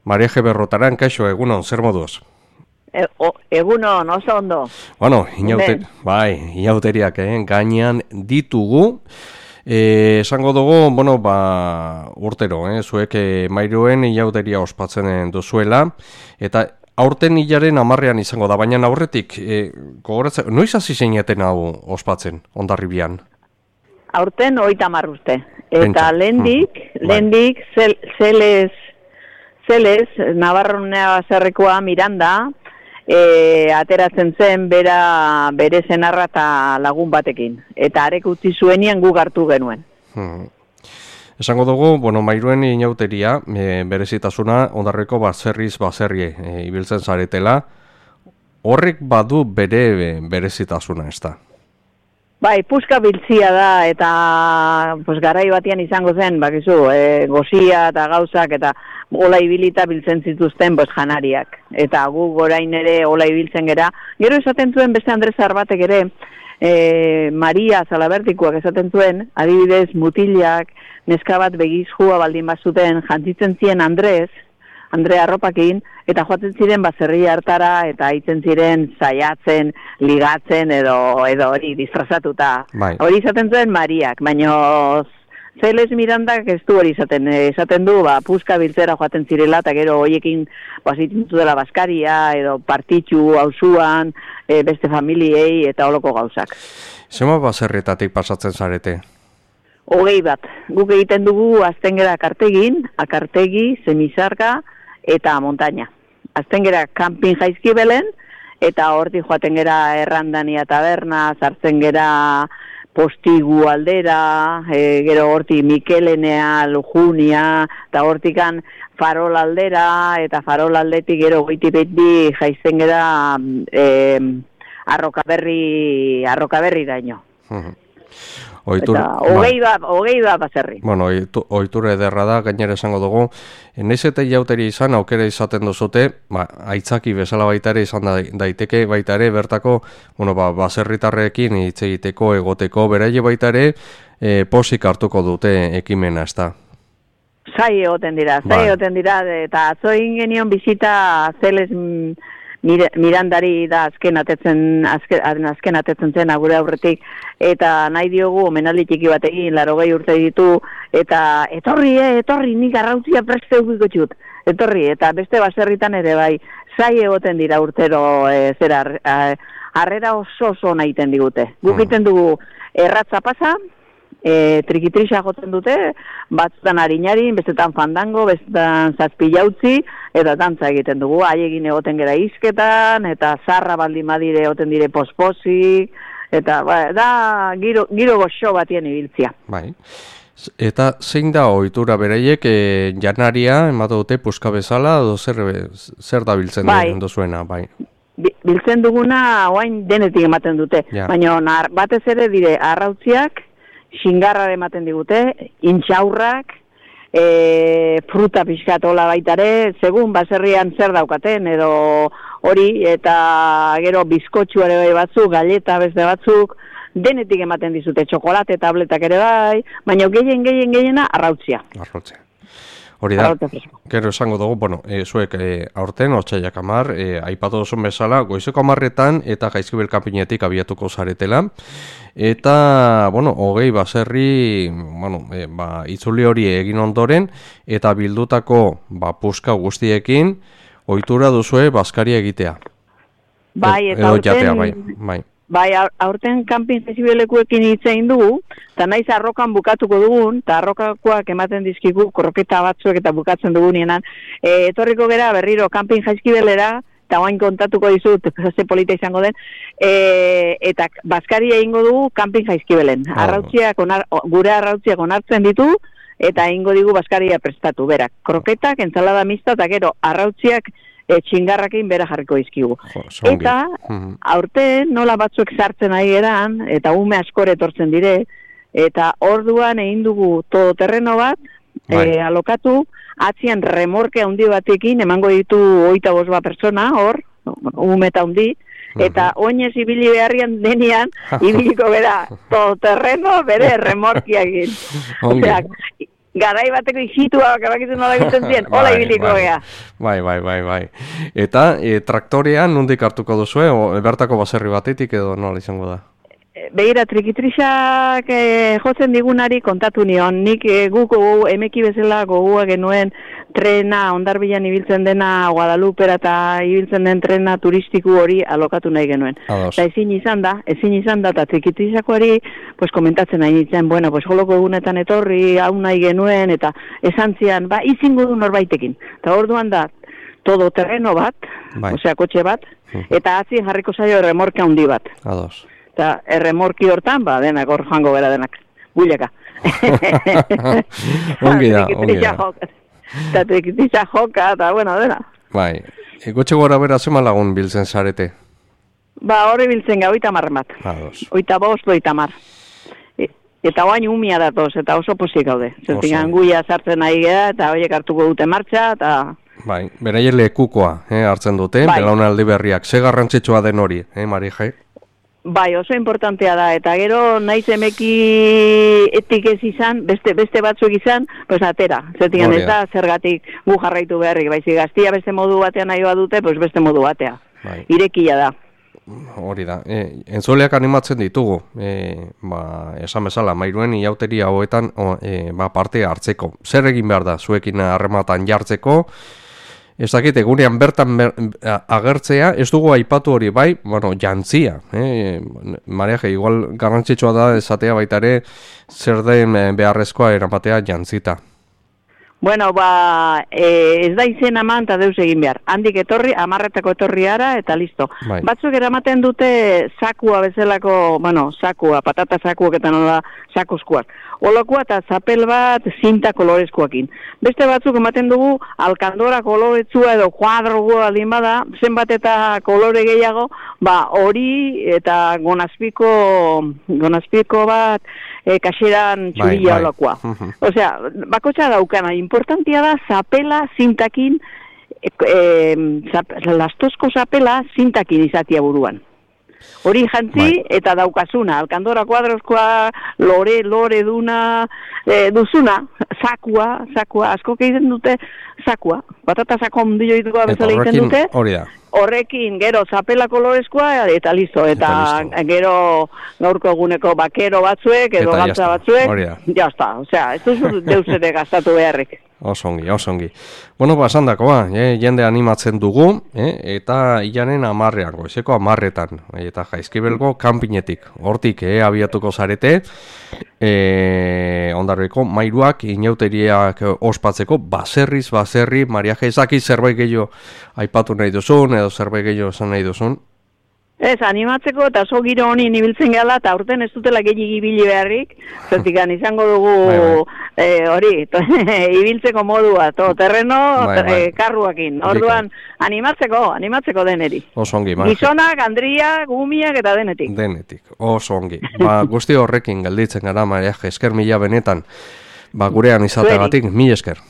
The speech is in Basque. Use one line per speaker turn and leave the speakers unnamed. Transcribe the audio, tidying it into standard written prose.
Maria G. Berrotaran, kaixo, egunon, zer moduz?
Egunon, oso ondo.
Bueno, inauteriak gainean ditugu. Esango dugu, urtero, zuek Mairuen inauteria ospatzen duzuela, eta aurten hilaren 10ean izango da, baina aurretik, noiz hasi zeineten hau ospatzen, Hondarribian?
Aurten 30 urte. Eta lehendik, Zeles, Navarronea Baserrikoa Miranda, ateratzen zen bere senarra eta lagun batekin. Eta arek utzi zuenian guk hartu genuen.
Esango dugu, Mairuen inauteria, berezitasuna, Hondarriko baserri ibiltzen zaretela, horrek badu berezitasuna, ez da?
Bai, puska biltzia da, eta garai batian izango zen, bakizu, gozia eta gauzak, eta ola ibilita biltzen zituzten janariak. Eta gu orain ere ola ibiltzen gera. Gero esaten zuen beste Andrezar batek ere, Maria Zalabertikoak esaten zuen, adibidez mutilak, neska bat begizjua baldin bazuten jantzitzen zien Andre arropakin, eta joaten ziren baserri hartara, eta aitzen ziren saiatzen, ligatzen, edo hori disfrazatuta.
Bai.
Hori izaten zuen Mariak, baina Zeles Mirandak ez du hori esaten du, puska biltzera joaten zirela, eta gero hoiekin zitzen dela baskaria, edo partitxu, auzuan, beste familiei, eta holoko gauzak.
Zema baserrietatik pasatzen zarete?
21. Guk egiten dugu azten gera akartegi, semizarga, eta montaña. Azten gera camping Jaizkibelen, eta horti joaten gera Errandania taberna, sartzen gera Postigu aldera, gero horti Mikelenea, Lujunia, eta hortikan Farol aldera, eta Farol aldetik gero goiti jaizten gera Arrokaberri daino. Hogei da baserri.
Ohitura ederra da, gainera esango dugu. Naiz eta jauteri izan, aukera izaten duzute, aitzaki bezala baita ere izan daiteke, baita ere, bertako, baserritarrekin hitz egiteko, egoteko, beraie baita ere, posik hartuko dute ekimena, ez da?
Zai egoten dira, eta atzo egin genion bizita Zeles Mirandari da azken atetzen zen agure aurretik, eta nahi diogu omenaldi txiki bat egin, 80 urte ditu, eta etorri, nik arrautzia preste eukiko txut, etorri, eta beste baserritan ere bai, zai egoten dira urtero, harrera oso nahiten digute. Guk egiten dugu erratza pasa, trikitrisa joten dute, batzutan harinarin, bestetan fandango, bestetan zazpilautzi, eta dantza egiten dugu, haiegin egoten gera izketan, eta zarra baldin badire egoten dire posposik, eta da giro goxo batien ibiltzia.
Bai. Eta zein da ohitura beraiek janaria ematen dute puska bezala, edo zer da biltzen duzuena, bai?
Biltzen duguna oain denetik ematen dute, baina batez ere dire arrautziak, xingarra ematen digute, intxaurrak, fruta pixkatola baitare, segun baserrian zer daukaten, edo hori, eta gero bizkotxu ere bai batzuk, galleta beste batzuk, denetik ematen dizute, txokolate, tabletak ere bai, baina gehiena arrautzia.
Hori da, gero esango dugu, zuek aurten, otsailak 10, aipatu duzun bezala, goizeko 10etan eta Jaizkibel kanpinetik abiatuko zaretela, eta, 20 baserri, itzuli hori egin ondoren, eta bildutako puska guztiekin, ohitura duzue baskaria egitea.
Bai, eta aurten... Bai, aurten kanpin Jaizkibelekuekin hitz egin dugu, eta naiz arrokan bukatuko dugun, eta arrokakoak ematen dizkigu, kroketa batzuek eta bukatzen dugunienan, etorriko gera berriro kanpin Jaizkibelera, eta oain kontatuko dizut, ze polita izango den, eta baskaria egingo dugu kanpin Jaizkibelen. Gure arrautziak onartzen ditu, eta egingo digu baskaria prestatu, berak. Kroketak, entzalada mista, eta gero arrautziak txingarrakin bera jarriko izkigu. Eta, aurten nola batzuek sartzen ari geran, eta ume askore etortzen dire, eta orduan egin dugu todoterreno bat, alokatu, atzian remorke handi batekin, emango ditu 25 persona, hor, ume eta handi, eta oinez ibili beharrian denean, ibiliko bera, todoterreno bere remorkiakin. garai bateko ixitua, kabakizu nola egiten ziren, hola ibiliko gea.
Bai. Eta traktorean nondik hartuko duzue, bertako baserri batetik edo nola izango da?
Begira, trikitrisak jotzen digunari kontatu nion, nik guk emeki bezala gogua genuen trena, Hondarbilan ibiltzen dena, Guadalupera eta ibiltzen den trena turistiku hori alokatu nahi genuen. Eta ezin izan da, eta trikitrisakoari pues, komentatzen nahi nintzen, bueno, pues, joloko egunetan etorri, hau nahi genuen, eta esan zian, izingo du norbaitekin. Eta orduan da, todo terreno bat, osea, kotxe bat, eta atzien jarriko zaio erremorke handi bat.
Ados.
Eta erremorki hortan, denak hor joango bera denak, builaka.
Ongi da.
Eta trikitisa joka, eta bueno, dena.
Bai, gotxe gora bera zema lagun biltzen zarete?
Hori biltzen ga, 30 bat. 25, 30. Eta oain umia datoz, eta oso posik gaude. Zertik anguia sartzen nahi gara, eta horiek hartuko dute martxa, eta...
Bai, beraien lekukoa hartzen dute, belaunaldi berriak. Ze garrantzitsua den hori, Marija?
Bai, oso importantea da, eta gero naiz emeki etik ez izan, beste batzuk izan, pues atera. Zertikan ez da, zergatik gu jarraitu beharrik, baizik gaztia beste modu batean nahi dute, pues beste modu batea. Irekia da.
Hori da, entzuleak animatzen ditugu, esan bezala, mairuen iauteria hauetan parte hartzeko. Zer egin behar da, zuekin harrematan jartzeko, ez dakit, egunean bertan agertzea, ez dugu aipatu hori bai, jantzia. Mariaje, igual garrantzitsua da esatea baita ere, zer den beharrezkoa eramatea jantzita.
Bueno, ez da izen aman eta deus egin behar. Handik etorri, 10 etorri ara, eta listo. Batzuk eramaten dute sakua bezalako, sakua, patata sakuak eta nola sakuskuak. Olakoa eta zapel bat zinta kolorezkoakin. Beste batzuk ematen dugu alkandora koloretsua edo kuadroa aldin bada, zenbat eta kolore gehiago, hori eta gonazpiko bat kaseran txurila olakoa. Osea, bakotxa daukana, importantia da zapela zintakin, lastozko zapela zintakin izatia buruan. Hori jantzi eta daukazuna, alkandora kuadrozkoa, lore duna, duzuna, sakua, asko egiten dute sakua. Patata sako ondio ituko bezala egiten dute. Horrekin, gero, zapela kolorezkoa eta listo. Eta gero gaurko eguneko bakero batzuek edo gantza batzuek. Jazta, osea, ez duzu deus ere gastatu beharrik.
Osongi. Bueno, esandakoa, jende animatzen dugu, eta ilanen 10, goizeko 10, eta Jaizkibelgo kanpinetik. Hortik, abiatuko zarete, Hondarribiko mairuak, inauteriak ospatzeko, baserri, Mariaje, ezaki zerbait gehiago aipatu nahi duzun, edo zerbait gehiago esan nahi duzun?
Ez, animatzeko eta oso giro honi ibiltzen gala, eta aurten ez dutela gehiagik ibili beharrik, zertikan izango dugu hori, ibiltzeko modua, terreno karruakin. Orduan, animatzeko deneri.
Osongi,
gizonak, andriak, gumiak eta denetik.
Osongi. Guzti horrekin gelditzen gara, Mariaje, esker mila benetan, gurean izateagatik, mila esker.